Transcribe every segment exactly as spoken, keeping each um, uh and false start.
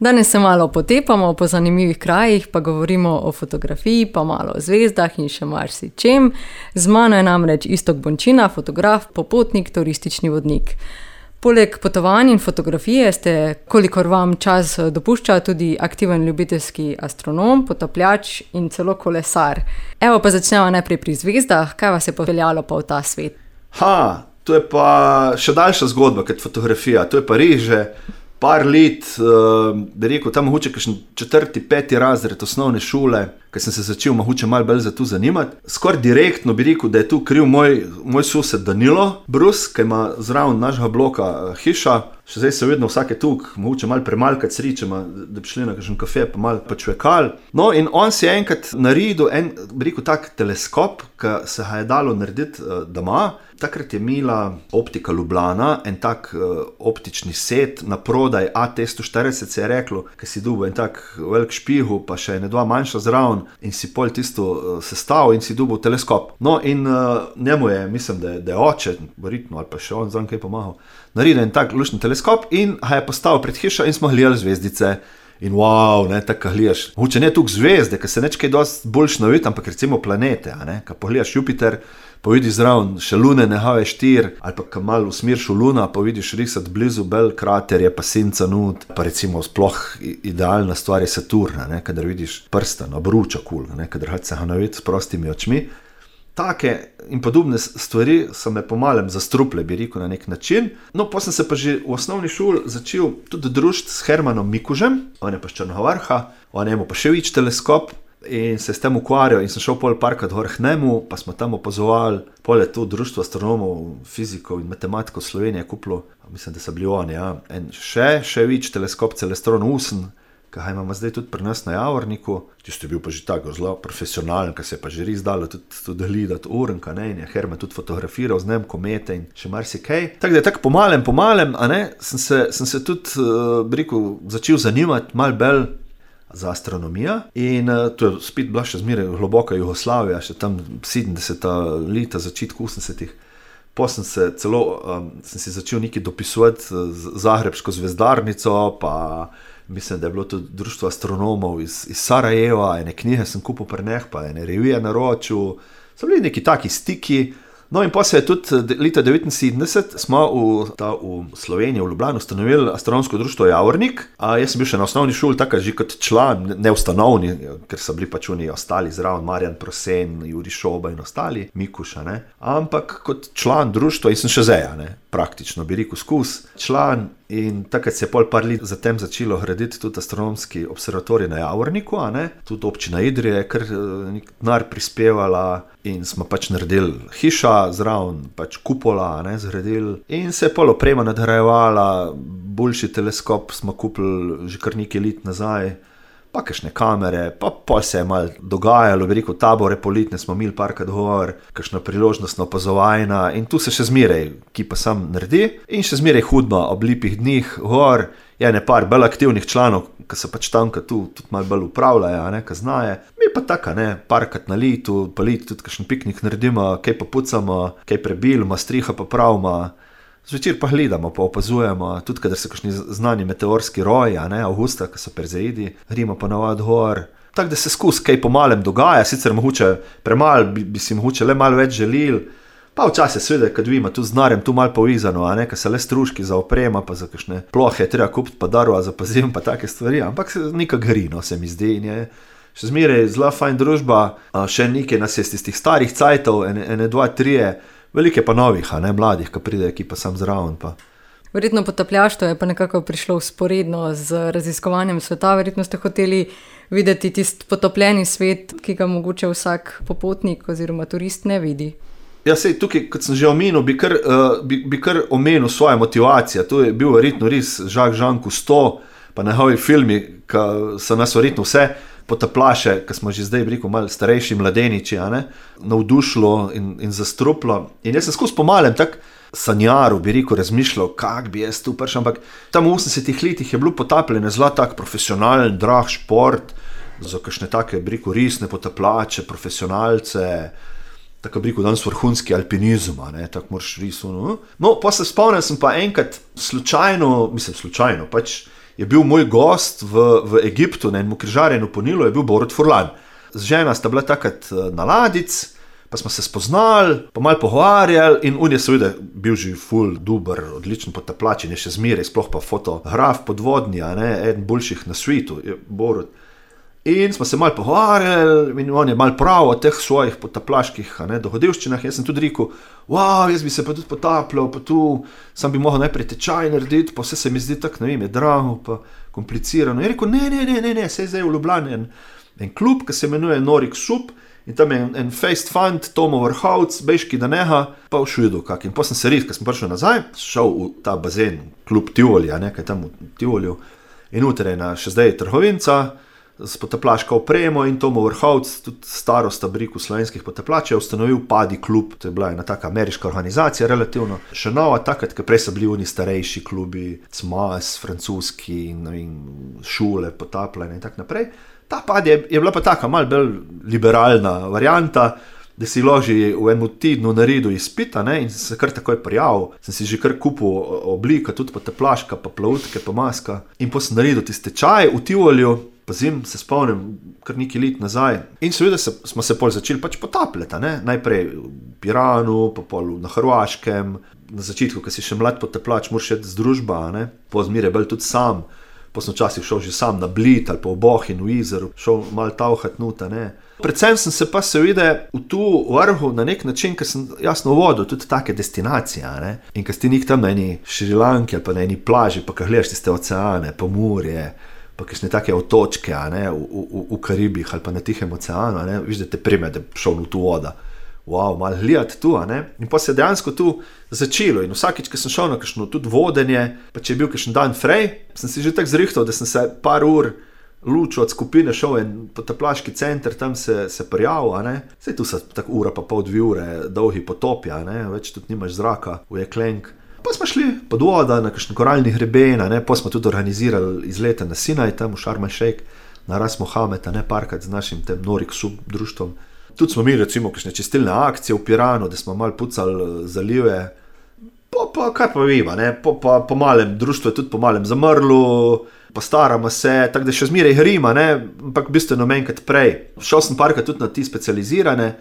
Danes se malo potepamo po zanimivih krajih, pa govorimo o fotografiji, pa malo o zvezdah in še marsičem. Z mano je namreč Iztok Bončina, fotograf, popotnik, turistični vodnik. Poleg potovanj in fotografije ste, kolikor vam čas dopušča, tudi aktiven ljubiteljski astronom, potapljač in celo kolesar. Evo pa začnemo najprej pri zvezdah. Kaj vas je popeljalo pa v ta svet? Ha, to je pa še daljša zgodba kot fotografija. To je pa res že par let, uh, bi rekel, tam mogoče kakšen četrti, peti razred osnovne šole, ker sem se začel mogoče malo bolj za to zanimati. Skoraj direktno bi rekel, da je tu kriv moj, moj sosed Danilo Brus, ki ima zraven našega bloka uh, hiša. Še zdaj se vedno vsake tuk, mogoče malo premalkati sričema, da bi šli na kakšen kafe pa malo počvekali. No in on si je enkrat naredil en, bi rekel, tak teleskop, ki se ga je dalo narediti uh, doma. Takrat je imela Optika Ljubljana en tak uh, optični set na prodaj, A T sto štirideset se je reklo, ki si dobil en tak velik špihu, pa še ene dva manjša zraven in si pol tisto uh, sestavil in si dobil teleskop. No in uh, njemu je, mislim, da je, da je oče, verjetno, ali pa še on zraven kaj pomahal, naredil en tak lušni teleskop in ga je postavil pred hišo in smo gledali zvezdice. In wow, ne, tako gledaš. Mogoče ne toliko zvezde, ker se neč kaj dosti boljš navidi, ampak recimo planete, a ne, ko pogledaš Jupiter, pa vidiš zraven še lune H štiri, ali pa ko malo usmeriš v luna, pa vidiš risati blizu bel kraterje, pa senca nud, pa recimo sploh idealna stvar je Saturna, ne, kadar vidiš prsten, obruča kul, ne, kadar se ga navidi s prostimi očmi. Take in podobne stvari so me pomalem zastruple, bi rekel, na nek način. No, pa sem se pa že v osnovni šoli začel tudi družiti s Hermanom Mikužem, on je pa z Črnega Vrha, on je imel pa še več teleskop in se s tem ukvarjal in sem šel pol parkrat gor k njemu, pa smo tam opazovali, pol je to društvo astronomov, fizikov in matematikov Slovenije kupilo, mislim, da so bili oni, ja, in še, še več teleskop Celestron osem, ki ga imamo zdaj tudi pri nas na Javorniku. Tisto je bil pa že tako zelo profesionalen, ki se je pa že res dalo tudi, tudi gledati urenka, ne, in je Herman tudi fotografiral z njem komete in še marsikaj. Tako da je tako pomalem, pomalem, a ne, sem se, sem se tudi, uh, bi rekel, začel zanimati malo bolj za astronomijo in uh, to je spet bila še zmeraj globoka Jugoslavija, še tam sedemdeseta leta, začetku osemdesetih. Potem sem se celo, um, sem si začel nekaj dopisovati z Zagrebško zvezdarnico, pa mislim, da je bilo tudi društvo astronomov iz, iz Sarajeva, ene knjige sem kupil pri njih, pa ene revije naročil, so bili neki taki stiki. No in pa se je tudi leta devetinsedemdeset smo v, ta, v Sloveniji, v Ljubljani ustanovili astronomsko društvo Javornik. A jaz sem bil še na osnovni šoli taka že kot član, ne ustanovni, ker so bili pač oni ostali zraven, Marjan Prosen, Juri Šoba in ostali, Mikuša, ne. Ampak kot član društva in sem še zdaj, ne, praktično bi rekel skus, član. In takrat se je pol par let zatem začelo graditi tudi astronomski observatorij na Javorniku, a ne, tudi občina Idrija je kar nek denar prispevala in smo pač naredili hiša zraven, pač kupola, a ne, zgradili in se je pol oprema nadgrajevala, boljši teleskop smo kupili že kar nekaj let nazaj, pa kakšne kamere, pa pol se je malo dogajalo, bi rekel, tabore politne smo imeli parkrat gor, kakšna priložnostna opazovanja in tu se še zmeraj, ki pa sam naredi in še zmeraj hudba ob lepih dnih gor, je ne par bolj aktivnih članov, ki so pač tam, ki tu tudi malo bolj upravljajo, a ne, ki znaje. Mi pa taka, ne, parkrat na letu, pa letu tudi kakšen piknik naredimo, kaj pa pucamo, kaj prebilimo, striha pa pravimo. Zvečer pa gledamo, pa opazujemo, tudi kadar so kakšni znani meteorski roji, a ne, avgusta, ki so perzeidi, gremo pa navad gor. Tako da se skus kaj pomalem dogaja, sicer mogoče premalo, bi, bi si mogoče le malo več želil, pa včasih seveda, kad vidimo tu z denarjem tu malo povezano, a ne, ka se le stroški za oprema, pa za kakšne plohe treba kupiti, pa darova za pozim, pa take stvari, ampak nekaj gri, no, se mi zdi, in je še zmeraj zelo fajn družba, še nekaj nas je z tistih starih cajtov, ene, ene dva, trije, velike pa novih, a ne, mladih, ki pridejo, ki pa sam zraven pa. Verjetno potapljaštvo je pa nekako prišlo vzporedno z raziskovanjem sveta, verjetno ste hoteli videti tisti potopljeni svet, ki ga mogoče vsak popotnik oziroma turist ne vidi. Ja, sej, tukaj, kot sem že omenil, bi kar, uh, bi, bi kar omenil svojo motivacijo. To je bil verjetno res Jacques Jean Cousteau, pa njegovi filmi, ki so nas verjetno vse potaplaše, ki smo že zdaj, bi rekel, malo starejši mladeniči, a ne, navdušilo in, in zastruplo. In jaz sem skozi pomalem tak sanjaru, bi rekel, razmišljal, kak bi jaz tu prišel, ampak tam v osemdesetih letih je bilo potapljanje zelo tak profesionalen, drag šport, za kakšne take, bi rekel, resne potaplače, profesionalce, tako bi rekel, danes vrhunski alpinizem, ne, tako moraš res, no. No, pa se spomnim, sem pa enkrat slučajno, mislim slučajno, pač je bil moj gost v, v Egiptu na enem križarjenju po Nilu, je bil Borut Furlan. Z žena sta bila takrat na ladic, pa smo se spoznali, pa malo pogovarjali in on je seveda bil že ful, duber, odličen potapljač in je še zmeraj, sploh pa fotograf podvodni, a ne, eden boljših na svetu je Borut. In smo se malo pogovarjali in on je malo prav o teh svojih potaplaških dogodivščinah. Jaz sem tudi rekel, wow, jaz bi se pa tudi potapljal, pa tu sam bi mogel najprej tečaj narediti, pa vse se mi zdi tako, ne vem, je drago, pa komplicirano. Je rekel, ne, ne, ne, ne, ne, se je zdaj v Ljubljani en, en klub, ki se imenuje Norik Sup in tam je en, en faced fund, Tomo Vrhovc, Bejški Daneha, pa v Švidu kak. In potem sem se res, ko sem prišel nazaj, šel v ta bazen, klub Tivoli, a ne, kaj tam v Tivoliju, in utrejena še zdaj trgovinca, s potaplaško opremo in Tomo Vrhovc, tudi starosta briku slovenskih potaplačev, je ustanovil Padi klub, to je bila ena taka ameriška organizacija, relativno še nova, takrat, ker prej so bili oni starejši klubi, C M A S, francoski in, in šule, potapljanje in tak naprej. Ta Padi je, je bila pa taka malo bolj liberalna varianta, da si loži v enem tednu naredil izpita, ne, in se kar takoj prijavil. Sem si že kar kupil oblika, tudi potaplaška, pa plavutke, pa maska. In potem sem naredil tiste čaj v Tivoliju, pazim, se spomnim, kar nekaj let nazaj. In seveda se, smo se pol začeli pač potapljati, ne? Najprej v Piranu, pa pol na Hrvaškem. Na začetku, ko si še mlad potaplač, moraš iti z družba, ne? Pozmir je bil tudi sam. Po sem včasih šel že sam na Bled ali pa v Bohin, v Izeru, šel malo tavhat nuta, ne? Predvsem sem se pa seveda v tu vrhu na nek način, ker sem jasno vodil tudi take destinacije, ne? In ko si nek tam na eni Šrilanki ali pa na eni plaži, pa ko gledaš tiste oceane, pa morje, pa kakšne take otočke, a ne, v, v, v Karibih ali pa na Tihem oceanu, a ne, viš, da te prime, da šel v tu voda. Wow, malo gledati tu, a ne. In pa se je dejansko tu začelo in vsakič, ko sem šel na kakšno tudi vodenje, pa če je bil kakšen dan frej, sem si že tako zrihtal, da sem se par ur lučil od skupine, šel en potaplaški center, tam se, se prijavil, a ne. Saj tu so tako ura pa pol dve ure dolgi potopi, a ne, več tudi nimaš zraka v jeklenk. Pa smo šli pod voda na kakšen koralni hreben, ne, pa smo tudi organizirali izlete na Sinaj, tam v Sharm el Sheikh, na Ras Mohamed, ne, parkrat z našim tem Norik Sup društvom. Tudi smo imeli recimo kakšne čistilne akcije v Piranu, da smo malo pucali zalive. Pa, pa kaj pa vima, ne, pa, pa po malem, društvo je tudi po malem zamrlo, postaramo se, tako da še zmeraj hrima, ne, ampak bistveno manjkrat prej. Šel sem parkrat tudi na ti specializirane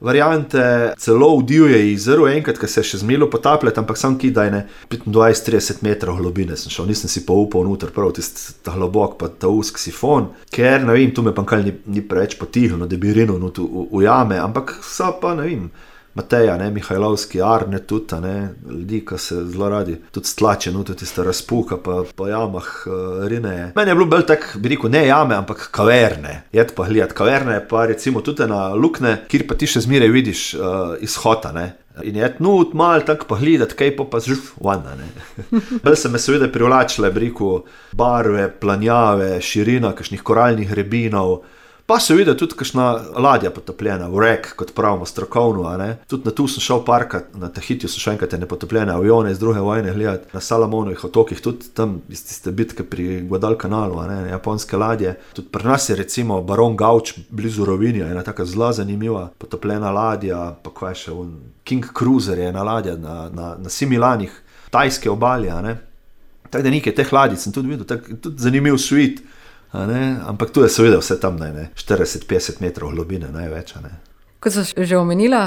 variante, celo v Divje jezero, enkrat, ko se je še zmelo potapljati, ampak sam kidaj ne petindvajset trideset metrov globine sem šel, nisem si pa upal noter prav tisti ta globok pa ta usk sifon, ker ne vem, tu me pa kaj ni, ni preveč potihnilo, da bi rinil v, v, v jame, ampak so pa ne vem, Mateja, ne, Mihajlovski, Arne tudi, ne, ljudi, ki se zelo radi tudi stlače, no, tudi tista razpuka pa po jamah uh, rineje. Meni je bilo bolj tak, bi rekel, ne jame, ampak kaverne. Jed pa gledati, kaverne pa recimo tudi na lukne, kjer pa ti še zmeraj vidiš uh, izhoda, ne. In je nut malo tako pa gledati, kaj pa pa zžuf, vana, ne. Bolj se me seveda privlačile, bi rekel, barve, planjave, širina, kakšnih koralnih hrebinov. Pa se vidi tudi kakšna ladja potopljena, wreck, kot pravimo strokovno, a ne. Tudi na tu sem šel parkat, na Tahitiju sem šel enkrat nepotopljene avione iz druge vojne gledati, na Salomonovih otokih, tudi tam iz tiste bitke pri Guadalcanalu, a ne, japonske ladje. Tudi pri nas je recimo Baron Gauč blizu Rovinja, ena taka zelo zanimiva potopljena ladja, pa kaj še, un King Cruiser je ena ladja na, na, na Similanih, tajske obali, a ne. Tako da nekaj teh ladij sem tudi videl, tak, tudi zanimiv svit. Ne? Ampak tu je seveda vse tam ne, štirideset petdeset metrov globine največ. Ne? Kot so že omenila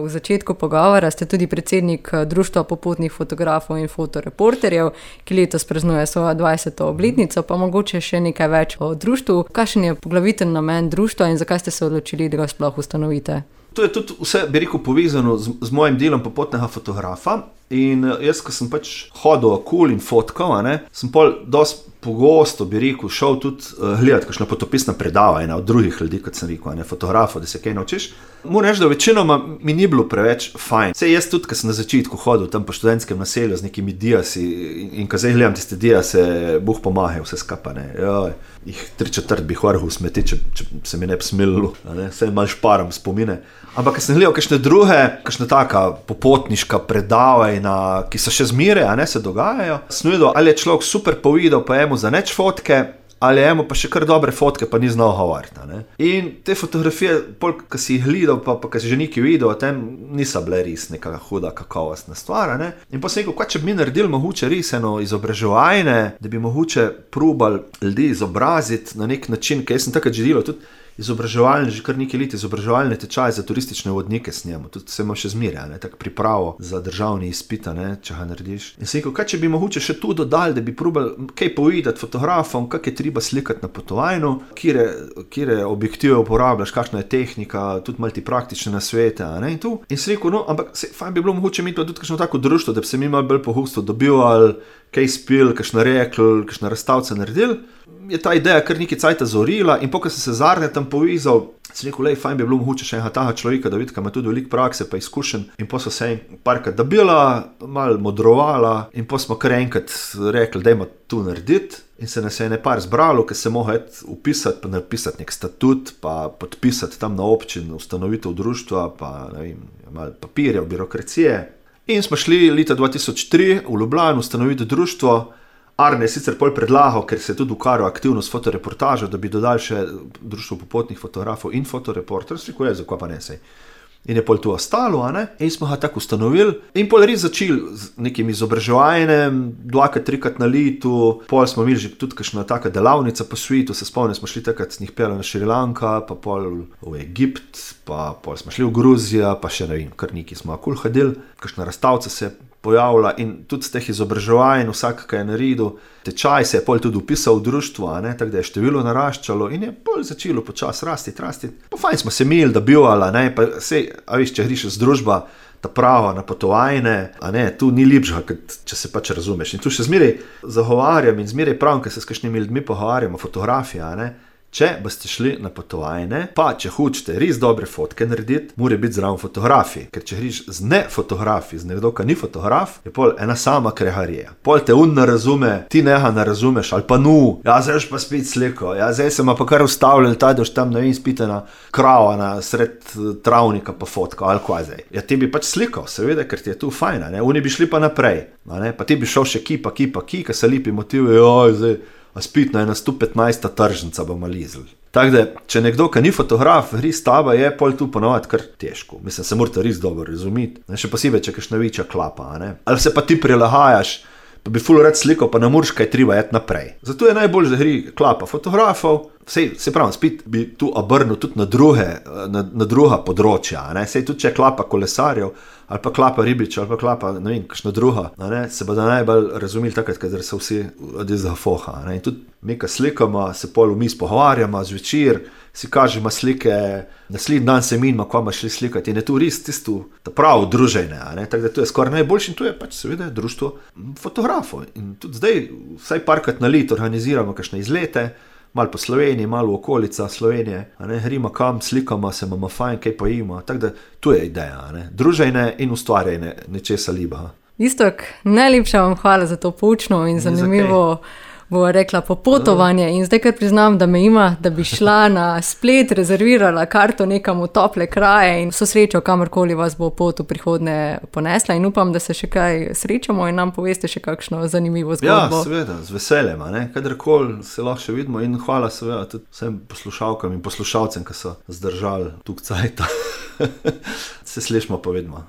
v začetku pogovora, ste tudi predsednik Društva popotnih fotografov in fotoreporterjev, ki letos praznuje svojo dvajseto obletnico, pa mogoče še nekaj več o društvu. Kakšen je poglaviten namen društva in zakaj ste se odločili, da ga sploh ustanovite? To je tudi vse, bi rekel, povezano z, z mojim delom popotnega fotografa. In jaz, ko sem pač hodil okoli in fotkal, ne, sem pol dosti pogosto, bi rekel, šel tudi uh, gledati kakšna potopisna predavanja od drugih ljudi, kot sem rekel, ne, fotografov, da se kaj naučiš. Moram reči, da večinoma mi ni bilo preveč fajn. Sej jaz tudi, ko sem na začetku hodil tam po študentskem naselju z nekimi diasi in, in ko zdaj gledam tiste diase, Bog pomahe vse skapane. Joj, jih tri četrt bi vrhu smeti, če, če se mi ne bi smililo, ne, vse malo šparam spomine. Ampak ko sem gledal kakšne druge, kakšna taka popotniška predavanja, ki so še zmeraj, a ne, se dogajajo, sem videl, ali je človek super povedal, pa emu za neč fotke, ali je imel pa še kar dobre fotke, pa ni znal govoriti. In te fotografije, ko si jih gledal, pa, pa ko si že nekaj videl, tem niso bile res neka huda kakovostna stvar. Ne? In pa sem rekel, kaj če bi mi naredili mogoče res eno izobraževanje, da bi mogoče probali ljudi izobraziti na nek način, ker jaz sem takrat že delal tudi izobraževalne, že kar nekaj let izobraževalne tečaje za turistične vodnike s njemu, tudi se ima še zmerja, tako pripravo za državni izpit, ne, če ga narediš. In sem rekel, kaj če bi mogoče še tu dodali, da bi probali kaj povedati fotografom, kak je treba slikati na potovanju, kire, kire objektive uporabljaš, kakšna je tehnika, tudi malo ti praktične nasvete, ne, in tu. In sem rekel, no, ampak se, fajn bi bilo mogoče imeti tudi kakšno tako društvo, da bi se mi malo bolj pogosto dobivali, kaj spil, kakšna rekl, kakšna razstavca naredili. Je ta ideja kar nekaj cajta zorila in pokaj sem se zarne tam povezal, sem rekel, lej, fajn bi bilo mogoče še enega taha človeka, da vidi, kaj ima tudi veliko prakse pa izkušenj, in pa so se en parkrat dobila, malo modrovala in pa smo kar enkrat rekli, dajmo tu narediti, in se nas je ne par zbralo, ker se mogo upisati, pa napisati nek statut, pa podpisati tam na občin ustanovitev društva, pa ne vem, malo papirjev, birokracije. In smo šli leta dva tisoč tri v Ljubljano ustanoviti društvo. Arne je sicer pol predlagal, ker se je tudi ukvarjal aktivno s fotoreportažo, da bi dodali še društvo popotnih fotografov in fotoreporter, si rekel, je, zakaj pa ne sej. In je pol tu ostalo, a ne? In smo ga tako ustanovili. In pol res začeli z nekim izobraževanjem, dvakrat, trikrat na letu, pol smo imeli že tudi kakšna taka delavnica po svetu, se spomnim, smo šli takrat z njih pela na Šrilanka, pa pol v Egipt, pa pol smo šli v Gruzijo, pa še ne vem, kar nekaj smo akul hodili, kakšna razstavca se je pojavila in tudi z teh izobraževanj, vsak, kaj je naredil, tečaj se je pol tudi upisal v društvo, a ne, tako da je število naraščalo in je pol začelo počas rasti, rasti. Pa fajn smo se imeli, da bivala, ne, pa sej, a viš, če griš z družba, ta prava na potovajne, a ne, tu ni lepšega, če se pač razumeš. In tu še zmeraj zagovarjam in zmeraj pravim, ker se s kakšnimi ljudmi pogovarjamo, fotografija, a ne. Če boste šli na potovajne, pa če hočete res dobre fotke narediti, mora biti zraven fotografiji. Ker če griš z ne fotografi, z nekdo, ki ni fotograf, je pol ena sama kreharija. Pol te un ne razume, ti neha ne razumeš, ali pa nu, ja, zdaj pa spet sliko, ja, zdaj se ima pa kar ustavljali, ta doš tam, ne vem, spitena krava na sred travnika pa fotka, ali kaj zdaj. Ja, ti bi pač slikal, seveda, ker ti je tu fajna, ne, oni bi šli pa naprej, ne, pa ti bi šel še ki, pa ki, pa ki, ka se lipi motivi, oj, zdaj, a spitna je na sto petnajsta tržnica bomo lizli. Tako da, če nekdo, ki ni fotograf, res taba je, pol tu ponovati kar težko. Mislim, se morate res dobro razumeti. Še posebej, če kakšna večja klapa, a ne. Ali se pa ti prilagajaš, pa bi ful rad slikal, pa ne moreš kaj treba jet naprej. Zato je najbolj, da gre klapa fotografov, sej, se pravim, spet bi tu obrnil tudi na druge, na, na druga področja, a ne. Sej tudi, če je klapa kolesarjev, ali pa klapa ribiča, ali pa klapa, ne vem, kakšna druga, a ne, se bodo najbolj razumeli takrat, kadar se vsi od izga foha, a ne. In tudi mi, ko slikamo, se pol vmis pogovarjamo, zvečer, si kažemo slike, naslednji dan se minimo, ko bomo šli slikati, in je tu res tisto, ta pravo druženje, a ne, tako da to je skoraj najboljši in tu je pač seveda društvo fotografov. In tudi zdaj, vsaj parkrat na leto organiziramo kakšne izlete, malo po Sloveniji, malo v okolica Slovenije, a ne, gremo kam, slikamo se, imamo fajn, kaj pojimo, tako da tu je ideja, a ne, druženje in ustvarjanje nečesa liba. Iztok, najlepša vam hvala za to poučno in zanimivo, bo rekla, popotovanje in zdaj kar priznam, da me ima, da bi šla na splet, rezervirala karto nekam v tople kraje in vso srečo, kamorkoli vas bo pot v prihodnje ponesla in upam, da se še kaj srečamo in nam poveste še kakšno zanimivo zgodbo. Ja, seveda, z veseljem, ne, kadarkoli se lahko še vidimo in hvala seveda tudi vsem poslušalkam in poslušalcem, ki so zdržali tuk cajta. Se slišimo, pa vidimo.